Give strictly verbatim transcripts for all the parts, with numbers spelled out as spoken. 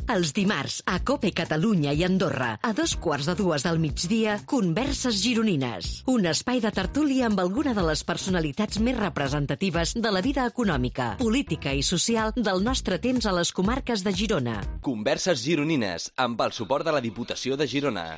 Els dimarts, a COPE Catalunya i Andorra, a dos quarts de dues del migdia, Converses Gironines. Un espai de tertúlia amb alguna de les personalitats més representatives de la vida econòmica, política i social del nostre temps a les comarques de Girona. Converses Gironines, amb el suport de la Diputació de Girona.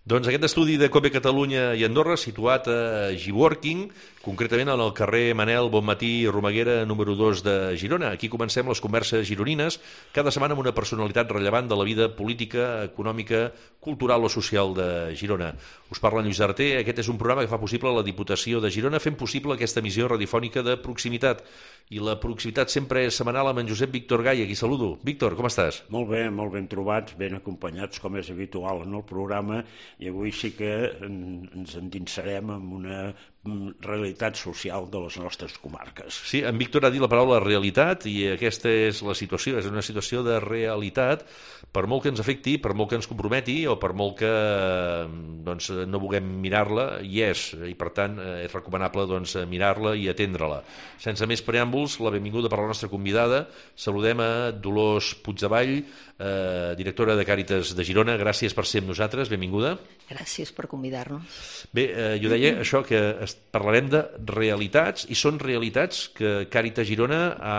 Doncs aquest estudi de COPE Catalunya i Andorra, situat a Giworking, concretament en el carrer Manel Bonmatí Romaguera, número dos de Girona. Aquí comencem les converses gironines, cada setmana amb una personalitat rellevant de la vida política, econòmica, cultural o social de Girona. Us parla en Lluís Arter, aquest és un programa que fa possible la Diputació de Girona, fent possible aquesta emissió radiofònica de proximitat. I la proximitat sempre és setmanal amb en Josep Víctor Gai, aquí saludo. Víctor, com estàs? Molt bé, molt ben trobats, ben acompanyats, com és habitual en el programa, i avui sí que ens endinsarem en una realitat social de les nostres comarques. Sí, en Víctor ha dit la paraula realitat i aquesta és la situació, és una situació de realitat, per molt que ens afecti, per molt que ens comprometi o per molt que doncs, no vulguem mirar-la, hi és, i per tant és recomanable doncs, mirar-la i atendre-la. Sense més preàmbuls, la benvinguda per la nostra convidada, saludem a Dolors Puigdevall, eh, directora de Càritas de Girona, gràcies per ser amb nosaltres, benvinguda. Gràcies per convidar-nos. Bé, eh, jo deia això, que parlarem de realitats, i són realitats que Càritas Girona ha,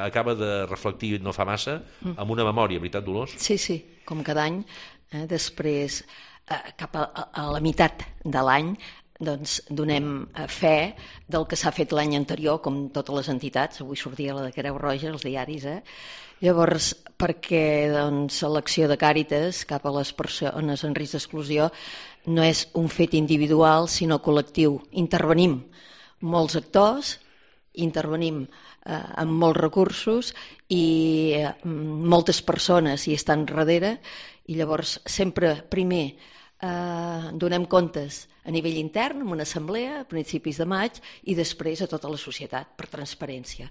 acaba de reflectir no fa massa amb una memòria, veritat, Dolors? Sí, sí, com cada any, eh, després, eh, cap a, a la meitat de l'any, doncs donem fe del que s'ha fet l'any anterior, com totes les entitats. Avui sortia la de Creu Roja, els diaris, eh? Llavors, perquè doncs, l'acció de Càritas cap a les persones en risc d'exclusió no és un fet individual, sinó col·lectiu. Intervenim molts actors, intervenim eh, amb molts recursos i eh, moltes persones hi estan darrere, i llavors sempre primer eh, donem comptes a nivell intern, en una assemblea, a principis de maig, i després a tota la societat, per transparència.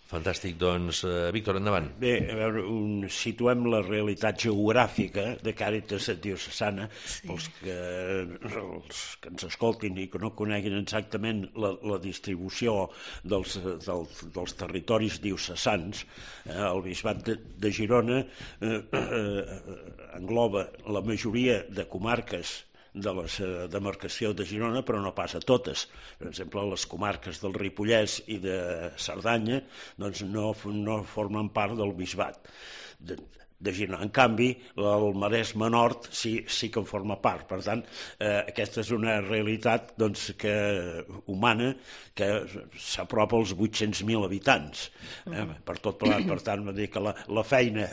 Fantàstic, doncs, uh, Víctor, endavant. Bé, a veure, un, situem la realitat geogràfica de Càritas Diocesana, sí. pels que, els que ens escoltin i que no coneguin exactament la, la distribució dels, dels, dels territoris diocesans. Eh, el bisbat de, de Girona eh, eh, engloba la majoria de comarques de la demarcació de Girona, però no pas a totes. Per exemple, les comarques del Ripollès i de Cerdanya doncs no, no formen part del bisbat de, de Girona. En canvi, el Maresme Nord sí, sí que en forma part. Per tant, eh, aquesta és una realitat doncs, que, humana que s'apropa als vuit-cents mil habitants. Eh, per tot plegat, per tant, dir que la, la feina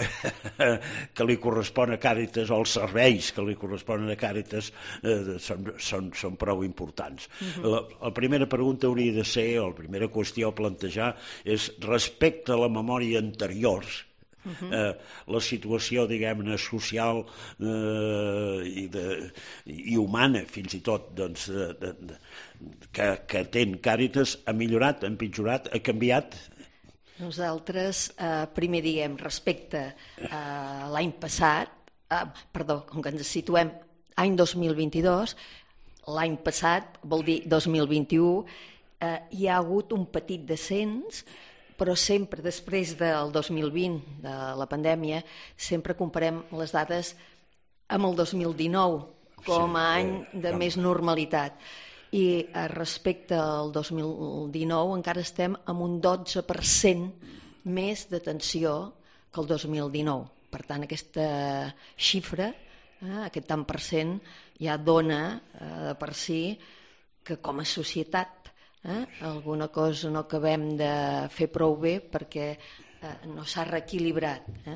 que li correspon a Càritas o els serveis que li corresponen a Càritas eh, són, són, són prou importants. Uh-huh. la, la primera pregunta hauria de ser, o la primera qüestió a plantejar, és respecte a la memòria anterior, Uh-huh. eh, la situació, diguem-ne, social eh, i, de, i humana, fins i tot, doncs, de, de, de, que, que ten Càritas, ha millorat, ha empitjorat, ha canviat? Nosaltres, eh, primer diguem, respecte a l'any passat, eh, perdó, com que ens situem any dos mil vint-i-dos, l'any passat vol dir dos mil vint-i-u, eh, hi ha hagut un petit descens, però sempre després del dos mil vint, de la pandèmia, sempre comparem les dades amb el dos mil dinou com a any de més normalitat. I respecte al dos mil dinou encara estem amb un dotze per cent més d'atenció que el dos mil dinou. Per tant, aquesta xifra, eh, aquest tant per cent, ja dona eh, per si que com a societat Eh? alguna cosa no acabem de fer prou bé perquè eh, no s'ha reequilibrat. Eh?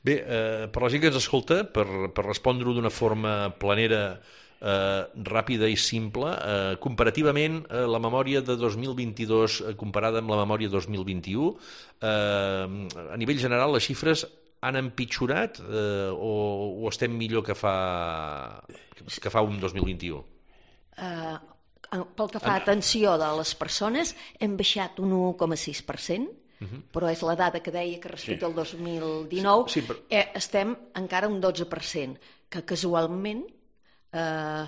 Bé, eh, per la gent que ens escolta, per, per respondre-ho d'una forma planera, eh, ràpida i simple, eh, comparativament eh, la memòria de dos mil vint-i-dos eh, comparada amb la memòria dos mil vint-i-u, eh, a nivell general les xifres han empitjorat eh, o, o estem millor que fa, que fa un dos mil vint-i-u? Eh... Pel que fa a atenció de les persones, hem baixat un u coma sis per cent, uh-huh. però és la dada que deia que respecte sí. al dos mil dinou sí, sí, però... eh, estem encara un dotze per cent, que casualment eh,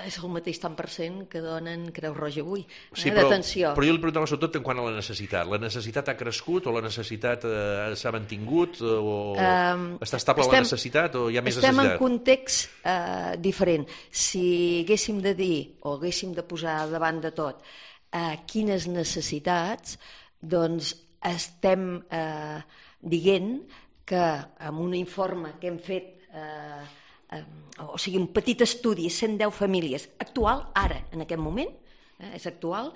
és el mateix tant per cent que donen Creu Roja avui, sí, eh, però, d'atenció. Però jo li preguntava sobretot en quant a la necessitat. La necessitat ha crescut o la necessitat eh, s'ha mantingut o Um, està estable estem, la necessitat o hi ha més estem necessitat? Estem en context eh, diferent. Si haguéssim de dir o haguéssim de posar davant de tot eh, quines necessitats, doncs estem eh, dient que amb un informe que hem fet eh, eh, o sigui, un petit estudi, cent deu famílies, actual, ara, en aquest moment, eh, és actual,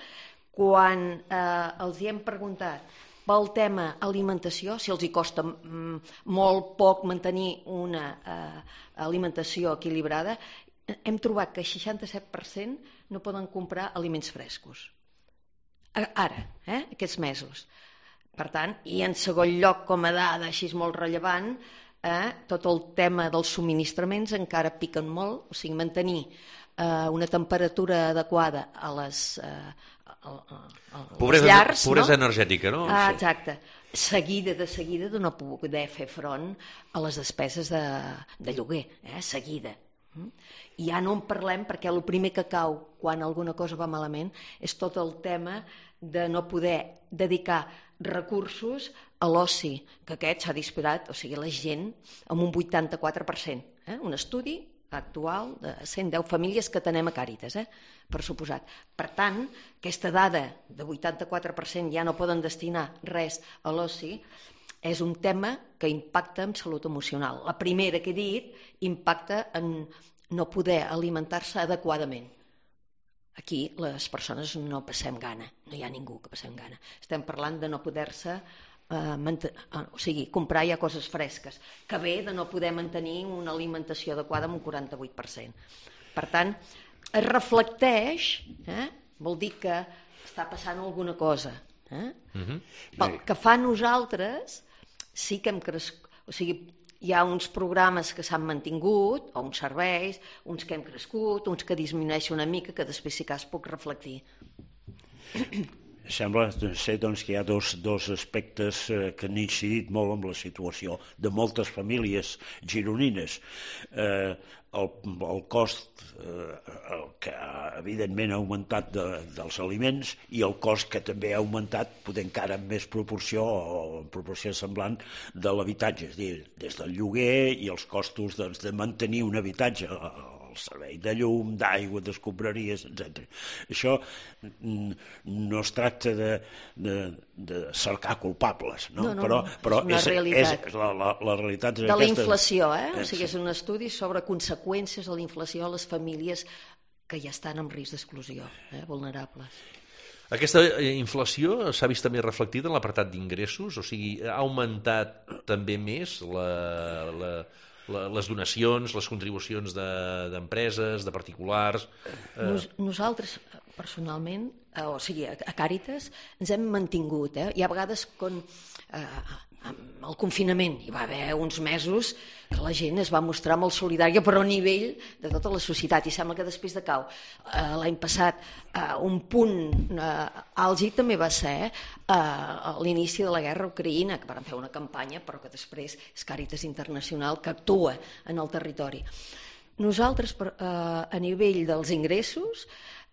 quan eh, els hi hem preguntat pel tema alimentació, si els hi costa mm, molt poc mantenir una eh, alimentació equilibrada, hem trobat que el seixanta-set per cent no poden comprar aliments frescos. Ara, eh, aquests mesos. Per tant, i en segon lloc, com a dada així molt rellevant, eh, tot el tema dels subministraments encara piquen molt, o sigui, mantenir eh, una temperatura adequada a les, eh, a, a, a pobresa, les llars. Pobresa no? energètica, no? Ah, exacte. Seguida de seguida de no poder fer front a les despeses de, de lloguer, eh, seguida. I ja no en parlem perquè el primer que cau quan alguna cosa va malament és tot el tema de no poder dedicar recursos a l'oci, que aquest s'ha disparat, o sigui, la gent amb un vuitanta-quatre per cent. Eh? Un estudi actual de cent deu famílies que tenem a Càritas, eh? per suposat. Per tant, aquesta dada de vuitanta-quatre per cent ja no poden destinar res a l'oci, és un tema que impacta en salut emocional. La primera que he dit impacta en no poder alimentar-se adequadament. Aquí les persones no passem gana, no hi ha ningú que passem gana. Estem parlant de no poder-se, eh, manten... o sigui, comprar ja coses fresques, que ve de no poder mantenir una alimentació adequada amb un quaranta-vuit per cent. Per tant, es reflecteix, eh? vol dir que està passant alguna cosa. Eh? Uh-huh. Pel que fa a nosaltres, sí que hem crescut, o sigui, hi ha uns programes que s'han mantingut, o uns serveis, uns que hem crescut, uns que disminueixen una mica, que després sí que es puc reflectir. Sembla ser doncs, que hi ha dos, dos aspectes eh, que han incidit molt en la situació de moltes famílies gironines. Eh, el, el cost eh, el que evidentment ha augmentat de, dels aliments i el cost que també ha augmentat, poder encara en més proporció o en proporció semblant, de l'habitatge, és a dir, des del lloguer i els costos doncs, de mantenir un habitatge, el servei de llum, d'aigua, d'escombraries, etcètera. Això no es tracta de, de, de cercar culpables, no? No, no, però, però és una és, realitat. És, la, la, la realitat és de aquesta. la inflació, eh? O sigui, és un estudi sobre conseqüències de la inflació a les famílies que ja estan en risc d'exclusió, eh? vulnerables. Aquesta inflació s'ha vist també reflectida en l'apartat d'ingressos? O sigui, ha augmentat també més la... la... les donacions, les contribucions d'empreses, de, de particulars... Eh... Nos, nosaltres, personalment, eh, o sigui, a, a Càritas, ens hem mantingut. Eh? Hi ha vegades, quan, eh, amb el confinament, hi va haver uns mesos que la gent es va mostrar molt solidària, però a nivell de tota la societat, i sembla que després de cau. Eh, L'any passat, eh, un punt eh, àlgid també va ser eh, a l'inici de la guerra a Ucraïna, que van fer una campanya, però que després és Càritas Internacional que actua en el territori. Nosaltres, per, eh, a nivell dels ingressos,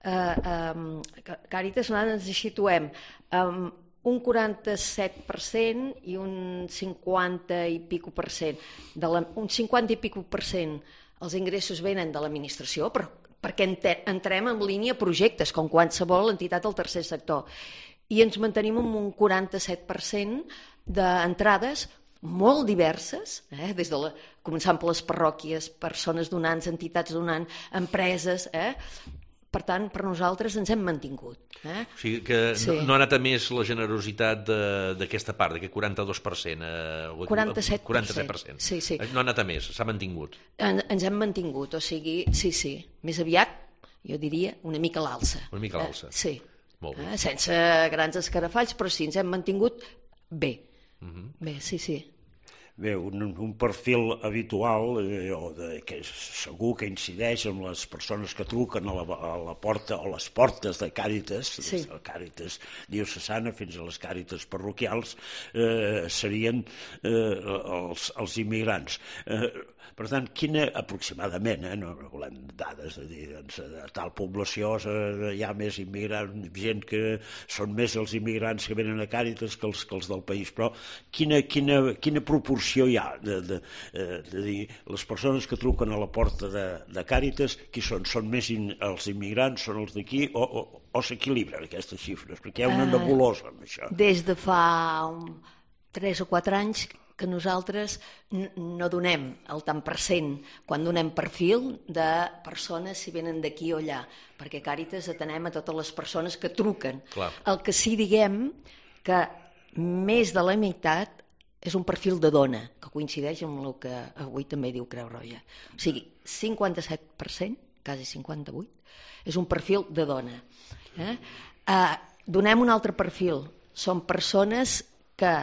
eh, eh, Càritas ens situem amb eh, un quaranta-set per cent i un cinquanta i pico per cent. De la, un cinquanta i pico per cent els ingressos venen de l'administració, però perquè entrem en línia projectes, com qualsevol entitat del tercer sector. I ens mantenim amb un quaranta-set per cent d'entrades molt diverses, eh? Des de la, començant per les parròquies, persones donants, entitats donants, empreses... Eh? Per tant, per nosaltres ens hem mantingut. Eh? O sigui que sí. no, no ha anat a més la generositat d'aquesta part, d'aquest quaranta-dos per cent. Eh, quaranta-set per cent. quaranta-set per cent. Sí, sí. No ha anat a més, s'ha mantingut. En, ens hem mantingut, o sigui, sí, sí. Més aviat, jo diria, una mica a l'alça. Una mica a l'alça. Eh? Sí. Molt bé. Eh? Sense grans escarafalls, però sí, ens hem mantingut bé. Uh-huh. Bé, sí, sí. Bé, un, un perfil habitual, eh, o de, que segur que incideix en les persones que truquen a la, a la porta o les portes de Càritas, sí. Des de Càritas diocesana fins a les Càritas parroquials, eh, serien eh, els, els immigrants. Eh, per tant, quina, aproximadament, eh, no volem dades, de dir, doncs, de tal població eh, hi ha més immigrants, gent que són més els immigrants que venen a Càritas que els, que els del país, però quina, quina, quina proporció hi ha de, de, de dir, les persones que truquen a la porta de, de Càritas, qui són? Són més in, els immigrants, són els d'aquí, o, o, o s'equilibren aquestes xifres? Perquè hi ha una nebulosa amb això. Des de fa un, tres o quatre anys que nosaltres no donem el tant per cent quan donem perfil de persones si venen d'aquí o allà, perquè Càritas atenem a totes les persones que truquen. Clar. El que sí diguem que més de la meitat és un perfil de dona, que coincideix amb el que avui també diu Creu Roja. O sigui, cinquanta-set per cent, quasi cinquanta-vuit, és un perfil de dona. Eh? Eh, donem un altre perfil. Són persones que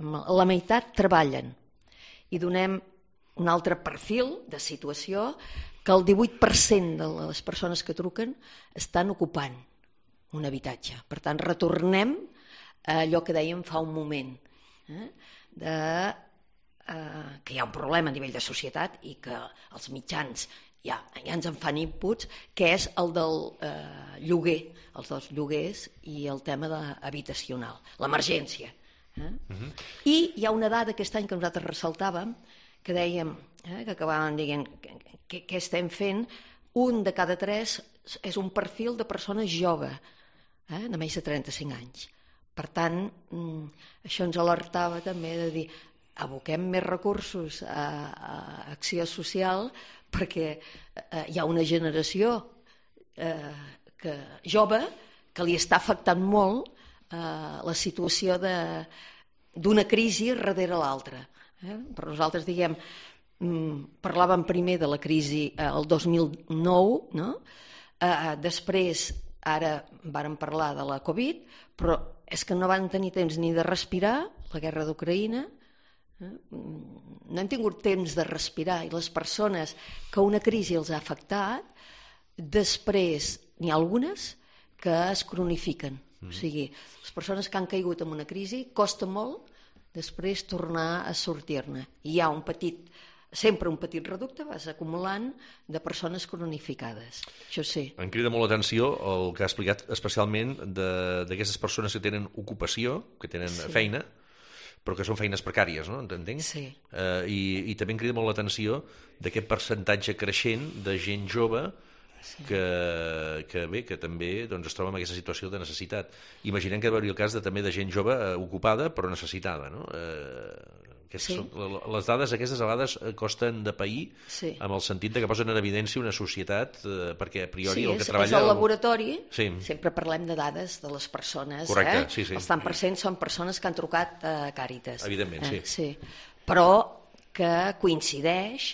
la meitat treballen. I donem un altre perfil de situació que el divuit per cent de les persones que truquen estan ocupant un habitatge. Per tant, retornem a allò que dèiem fa un moment. Eh? De, eh, que hi ha un problema a nivell de societat i que els mitjans ja, ja ens en fan inputs, que és el del eh, lloguer, els dels lloguers i el tema de, habitacional, l'emergència. Eh? Uh-huh. I hi ha una dada aquest any que nosaltres ressaltàvem, que dèiem, eh, que acabàvem dient què estem fent, un de cada tres és un perfil de persones jove, eh, de més de trenta-cinc anys. Per tant, això ens alertava també de dir aboquem més recursos a, a acció social perquè eh, hi ha una generació eh, que, jove que li està afectant molt eh, la situació de, d'una crisi darrere l'altra. Eh? Per nosaltres, diguem, parlàvem primer de la crisi eh, el dos mil nou, no? eh, després, ara vàrem parlar de la Covid, però és que no van tenir temps ni de respirar, la guerra d'Ucraïna, eh? no hem tingut temps de respirar, i les persones que una crisi els ha afectat, després n'hi ha algunes que es cronifiquen. Mm. O sigui, les persones que han caigut en una crisi costa molt després tornar a sortir-ne. I hi ha un petit, sempre un petit reducte, vas acumulant de persones cronificades. Això sí. Em crida molt l'atenció el que ha explicat especialment d'aquestes persones que tenen ocupació, que tenen sí. feina, però que són feines precàries, no? Entenc? Sí. Uh, i, I també em crida molt l'atenció d'aquest percentatge creixent de gent jove sí. que, que, bé, que també doncs, es troba en aquesta situació de necessitat. Imaginem que hi hauria el cas de, també de gent jove uh, ocupada però necessitada, no? Uh, Sí. Són, les dades aquestes a vegades costen de pair sí. amb el sentit de que posen en evidència una societat eh, perquè a priori sí, el que és, treballa... Sí, és el laboratori, sí. sempre parlem de dades de les persones. Correcte, eh? sí, sí. Els tant per cent són persones que han trucat a Càritas. Evidentment, eh? sí. sí. Però que coincideix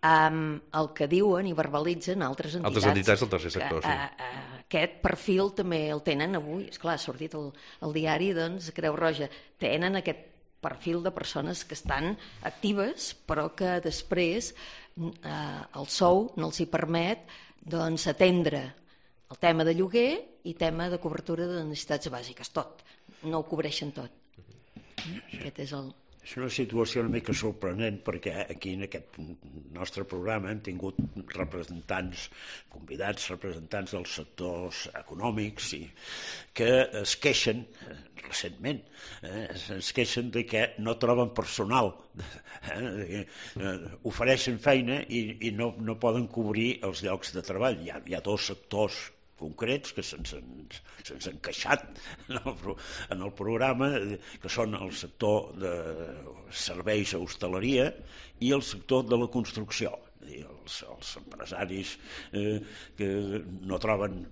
amb el que diuen i verbalitzen altres entitats. Altres entitats del tercer sector, que, sí. A, a, aquest perfil també el tenen avui. Esclar, ha sortit el, el diari, doncs, Creu Roja. Tenen aquest perfil de persones que estan actives però que després eh, el sou no els hi permet doncs, atendre el tema de lloguer i tema de cobertura de necessitats bàsiques, tot. No ho cobreixen tot. Aquest és el... És una situació una mica sorprenent perquè aquí en aquest nostre programa hem tingut representants, convidats representants dels sectors econòmics i que es queixen recentment, eh, es queixen de que no troben personal, eh, eh, ofereixen feina i, i no, no poden cobrir els llocs de treball. Hi ha, hi ha dos sectors concrets que se'ns se'ns han queixat en el, en el programa, que són el sector de serveis a hostaleria i el sector de la construcció. Els, els empresaris eh, que no troben,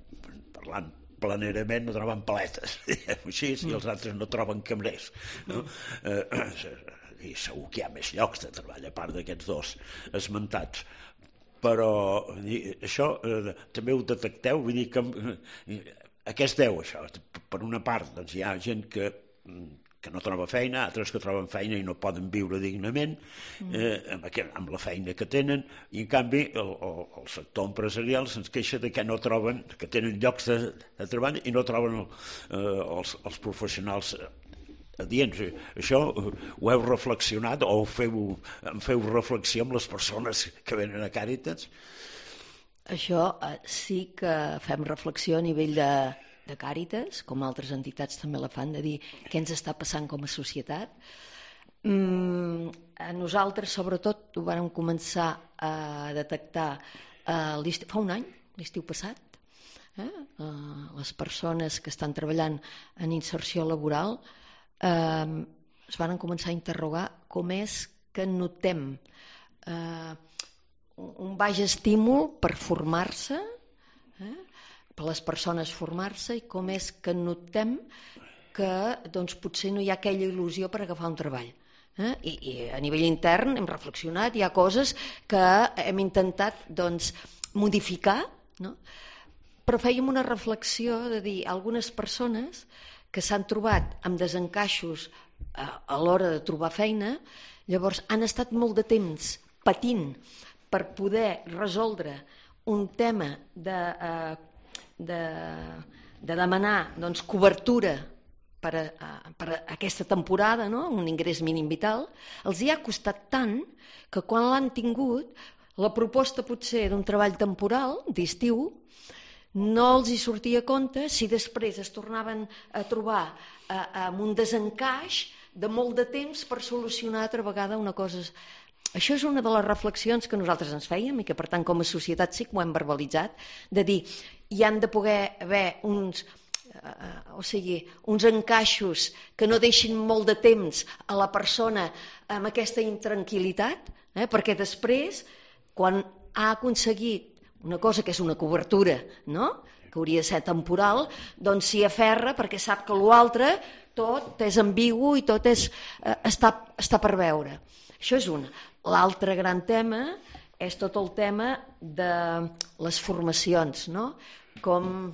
parlant planerament, no troben paletes, així, i els altres no troben cambrers. No? Eh, i segur que hi ha més llocs de treball, a part d'aquests dos esmentats. Però això eh, també ho detecteu, vull dir que eh, a què es deu això? Per una part, doncs, hi ha gent que que no troba feina, altres que troben feina i no poden viure dignament eh, amb, aquest, amb la feina que tenen, i en canvi el, el, el sector empresarial se'ns queixa de que no troben, que tenen llocs de, de treball i no troben el, eh, els, els professionals adients. Això ho heu reflexionat o feu, en feu reflexió amb les persones que venen a Càritas? Això eh, sí que fem reflexió a nivell de, de Càritas, com altres entitats també la fan, de dir què ens està passant com a societat. Mm, a nosaltres, sobretot, ho vàrem començar a detectar eh, fa un any, l'estiu passat. Eh? Eh, les persones que estan treballant en inserció laboral eh, es van començar a interrogar com és que notem eh, un baix estímul per formar-se, eh, per les persones formar-se, i com és que notem que doncs, potser no hi ha aquella il·lusió per agafar un treball. Eh? I, I a nivell intern hem reflexionat, hi ha coses que hem intentat doncs, modificar, no? Però fèiem una reflexió de dir algunes persones que s'han trobat amb desencaixos a, a l'hora de trobar feina, llavors han estat molt de temps patint per poder resoldre un tema de, eh, de, de demanar doncs, cobertura per a, per a aquesta temporada, no? Un ingrés mínim vital, els hi ha costat tant que quan l'han tingut, la proposta potser d'un treball temporal, d'estiu, no els hi sortia a compte si després es tornaven a trobar eh, amb un desencaix de molt de temps per solucionar altra vegada una cosa. Això és una de les reflexions que nosaltres ens fèiem i que, per tant, com a societat sí que ho hem verbalitzat, de dir, hi han de poder haver uns, eh, o sigui, uns encaixos que no deixin molt de temps a la persona amb aquesta intranquil·litat, eh, perquè després, quan ha aconseguit una cosa que és una cobertura, no?, que hauria de ser temporal, doncs s'hi aferra perquè sap que l'altre tot és ambigu i tot és, eh, està, està per veure. Això és una. L'altre gran tema és tot el tema de les formacions, no? Com,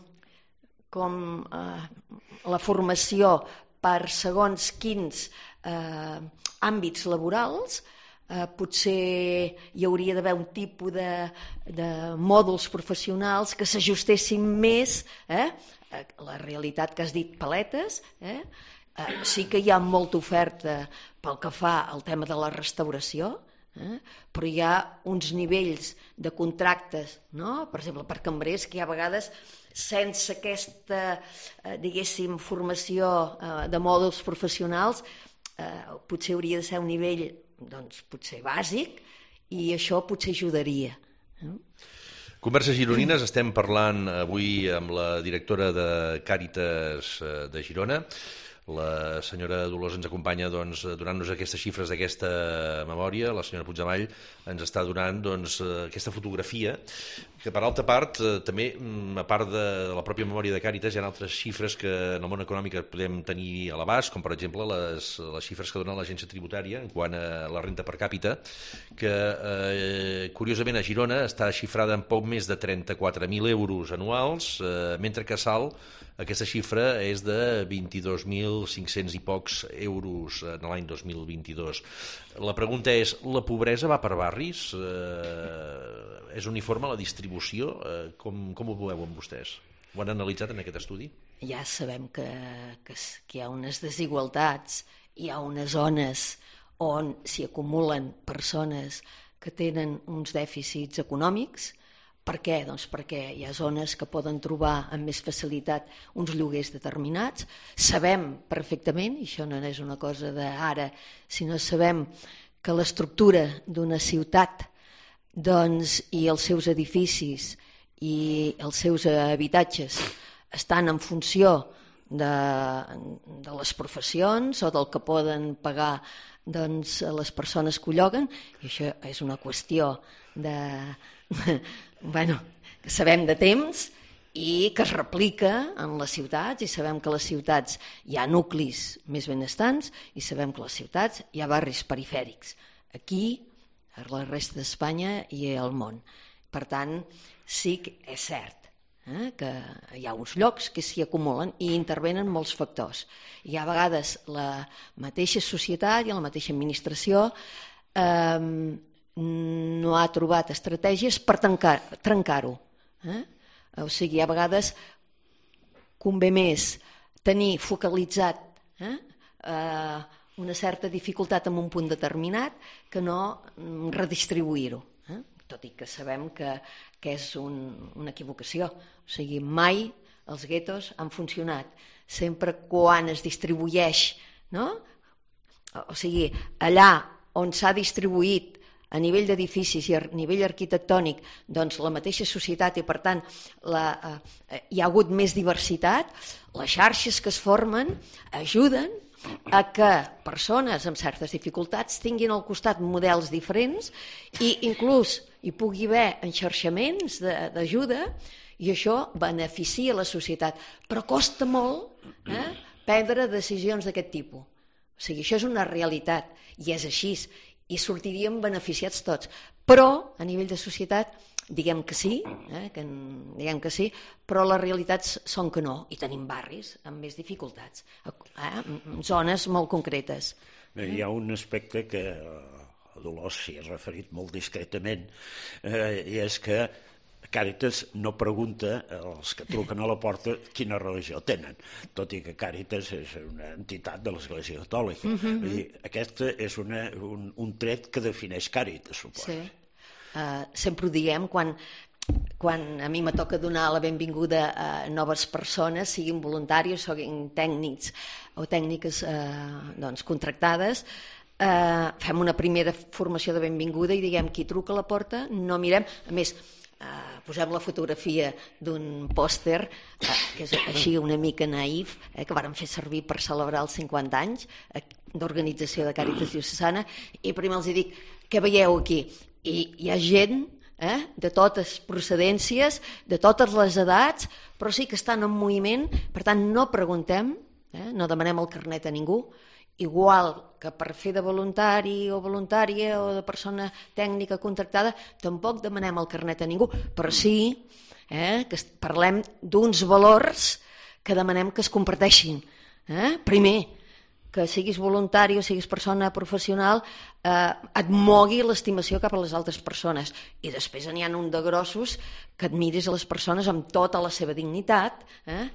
com eh, la formació per segons quins eh, àmbits laborals. Eh, potser hi hauria d'haver un tipus de, de mòduls professionals que s'ajustessin més eh, a la realitat que has dit, paletes. Eh? Eh, sí que hi ha molta oferta pel que fa al tema de la restauració, eh? Però hi ha uns nivells de contractes, no? Per exemple, per cambrers, que hi ha vegades sense aquesta, eh, diguéssim, formació eh, de mòduls professionals, eh, potser hauria de ser un nivell doncs potser bàsic, i això potser ajudaria. Converses gironines, estem parlant avui amb la directora de Càritas de Girona. La senyora Dolors ens acompanya doncs, donant-nos aquestes xifres d'aquesta memòria. La senyora Puigdemall ens està donant doncs, aquesta fotografia, que per altra part, també, a part de la pròpia memòria de Càritas, hi ha altres xifres que en el món econòmic podem tenir a l'abast, com per exemple les, les xifres que dona l'agència tributària en quant a la renta per càpita, que eh, curiosament a Girona està xifrada en poc més de trenta-quatre mil euros anuals, eh, mentre que a Salt aquesta xifra és de vint-i-dos mil cinc-cents i pocs euros en l'any dos mil vint-i-dos. La pregunta és, la pobresa va per barris? Eh, és uniforme la distribució? Eh, com, com ho veieu amb vostès? Ho han analitzat en aquest estudi? Ja sabem que, que, que hi ha unes desigualtats, hi ha unes zones on s'hi acumulen persones que tenen uns dèficits econòmics. Per què? Doncs perquè hi ha zones que poden trobar amb més facilitat uns lloguers determinats. Sabem perfectament, i això no és una cosa d'ara, sinó sabem que l'estructura d'una ciutat doncs, i els seus edificis i els seus habitatges estan en funció de, de les professions o del que poden pagar doncs, les persones que ho lloguen, i això és una qüestió de... bueno, que sabem de temps i que es replica en les ciutats, i sabem que a les ciutats hi ha nuclis més benestants i sabem que a les ciutats hi ha barris perifèrics. Aquí, a la resta d'Espanya i al món. Per tant, sí que és cert. eh, que hi ha uns llocs que s'hi acumulen i intervenen molts factors. I a vegades la mateixa societat i la mateixa administració eh, no ha trobat estratègies per trencar, trencar-ho. Eh? O sigui, a vegades convé més tenir focalitzat eh, eh, una certa dificultat en un punt determinat que no redistribuir-ho. Eh? Tot i que sabem que, que és un, una equivocació. O sigui, mai els guetos han funcionat. Sempre quan es distribueix, no? O sigui, allà on s'ha distribuït a nivell d'edificis i a nivell arquitectònic, doncs la mateixa societat i, per tant, la, eh, hi ha hagut més diversitat, les xarxes que es formen ajuden a que persones amb certes dificultats tinguin al costat models diferents i inclús hi pugui haver enxarxaments d'ajuda i això beneficia la societat. Però costa molt eh, prendre decisions d'aquest tipus. O sigui, això és una realitat i és així. I sortiríem beneficiats tots. Però, a nivell de societat, diguem que sí, eh, que, diguem que sí, però les realitats són que no, i tenim barris amb més dificultats, eh, zones molt concretes. Hi ha un aspecte que a Dolors s'hi ha referit molt discretament, eh, i és que Càritas no pregunta als que truquen a la porta quina religió tenen, tot i que Càritas és una entitat de l'Església Catòlica. Mm-hmm. Vull dir, aquest és una, un, un tret que defineix Càritas, suposo. Sí. Uh, sempre ho diem quan, quan a mi me toca donar la benvinguda a noves persones, siguin voluntaris, siguin tècnics o tècniques uh, doncs, contractades, uh, fem una primera formació de benvinguda i diguem qui truca a la porta, no mirem, a més, Uh, posem la fotografia d'un pòster uh, que és així una mica naïf, eh, que vàrem fer servir per celebrar els cinquanta anys eh, d'organització de Càritas Diocesana, i primer els dic, què veieu aquí? I hi ha gent eh, de totes procedències, de totes les edats, però sí que estan en moviment, per tant no preguntem, eh, no demanem el carnet a ningú, igual que per fer de voluntari o voluntària o de persona tècnica contractada, tampoc demanem el carnet a ningú, però sí eh, que parlem d'uns valors que demanem que es comparteixin. Eh? Primer, que siguis voluntari o siguis persona professional, eh, et mogui l'estimació cap a les altres persones. I després n'hi ha un de grossos que admiris a les persones amb tota la seva dignitat, eh?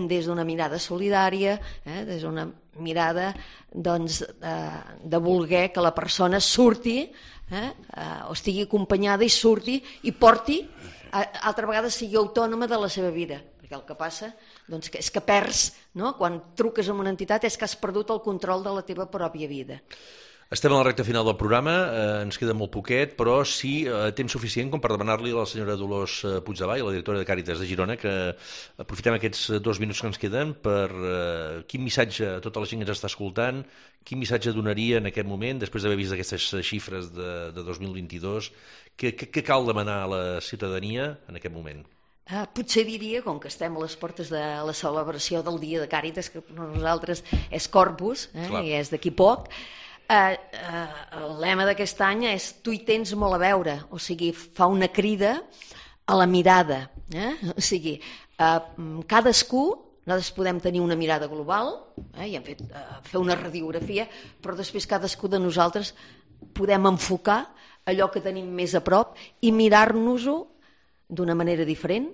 Des d'una mirada solidària, eh? Des d'una mirada doncs, eh, de voler que la persona surti, eh? Eh, o estigui acompanyada i surti i porti, eh, altra vegada sigui autònoma de la seva vida. Perquè el que passa doncs, que és que perds, no? Quan truques a una entitat és que has perdut el control de la teva pròpia vida. Estem a la recta final del programa, eh, ens queda molt poquet, però sí eh, temps suficient com per demanar-li a la senyora Dolors Puigdevall, la directora de Càritas de Girona, que aprofitem aquests dos minuts que ens queden per eh, quin missatge a tota la gent que ens està escoltant, quin missatge donaria en aquest moment, després d'haver vist aquestes xifres de, de dos mil vint-i-dos, què, què, què cal demanar a la ciutadania en aquest moment? Uh, potser diria, com que estem a les portes de la celebració del Dia de Càritas, que per nosaltres és Corpus, eh, i és d'aquí poc, uh, uh, el lema d'aquest any és tu hi tens molt a veure, o sigui, fa una crida a la mirada. Eh? O sigui, uh, cadascú, nosaltres podem tenir una mirada global, eh, i hem fet, uh, fer una radiografia, però després cadascú de nosaltres podem enfocar allò que tenim més a prop i mirar-nos-ho d'una manera diferent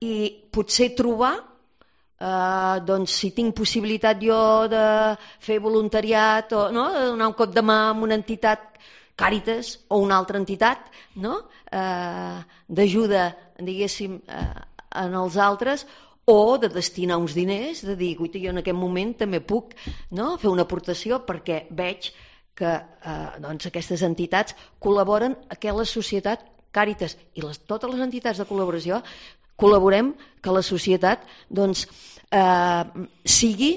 i potser trobar, eh, doncs si tinc possibilitat jo de fer voluntariat o no, de donar un cop de mà a una entitat, Càritas o una altra entitat, no? eh, d'ajuda, diguéssim, eh, en els altres, o de destinar uns diners, de dir, guaita, jo en aquest moment també puc, no? Fer una aportació perquè veig que eh, doncs aquestes entitats col·laboren a que la societat Càritas i les, totes les entitats de col·laboració col·laborem que la societat doncs, eh, sigui,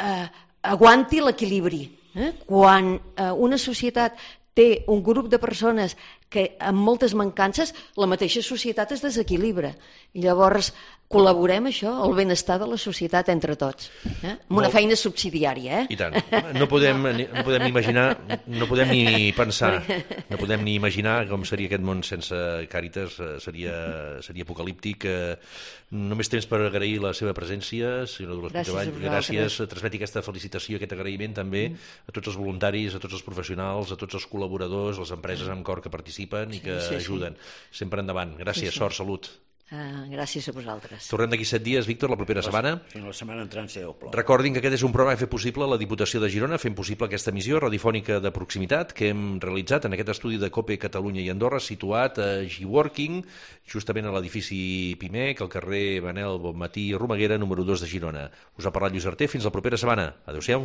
eh, aguanti l'equilibri. Eh? Quan eh, una societat té un grup de persones que amb moltes mancances la mateixa societat es desequilibra. I llavors col·laborem això, el benestar de la societat entre tots, eh? amb una feina subsidiària. Eh? I tant. No podem, no podem ni imaginar, no podem ni pensar, no podem ni imaginar com seria aquest món sense Càritas, seria, seria apocalíptic. Només temps per agrair la seva presència, senyora Dolors Puigdevall. Gràcies. Transmeti aquesta felicitació, aquest agraïment també a tots els voluntaris, a tots els professionals, a tots els col·laboradors, les empreses amb cor que participen i que sí, sí, ajuden. Sí. Sempre endavant. Gràcies, sí, sí. Sort, salut. Uh, gràcies a vosaltres. Tornem d'aquí set dies, Víctor, la propera setmana. Fins la setmana entrant, si Déu plou. Recordin que aquest és un programa que ha fet possible la Diputació de Girona, fent possible aquesta emissió radiofònica de proximitat que hem realitzat en aquest estudi de COPE Catalunya i Andorra, situat a G-Working, justament a l'edifici Pimec, al carrer Manel Bonmatí Romaguera, número dos de Girona. Us ha parlat Lluís Arter. Fins la propera setmana. Adéu-siau.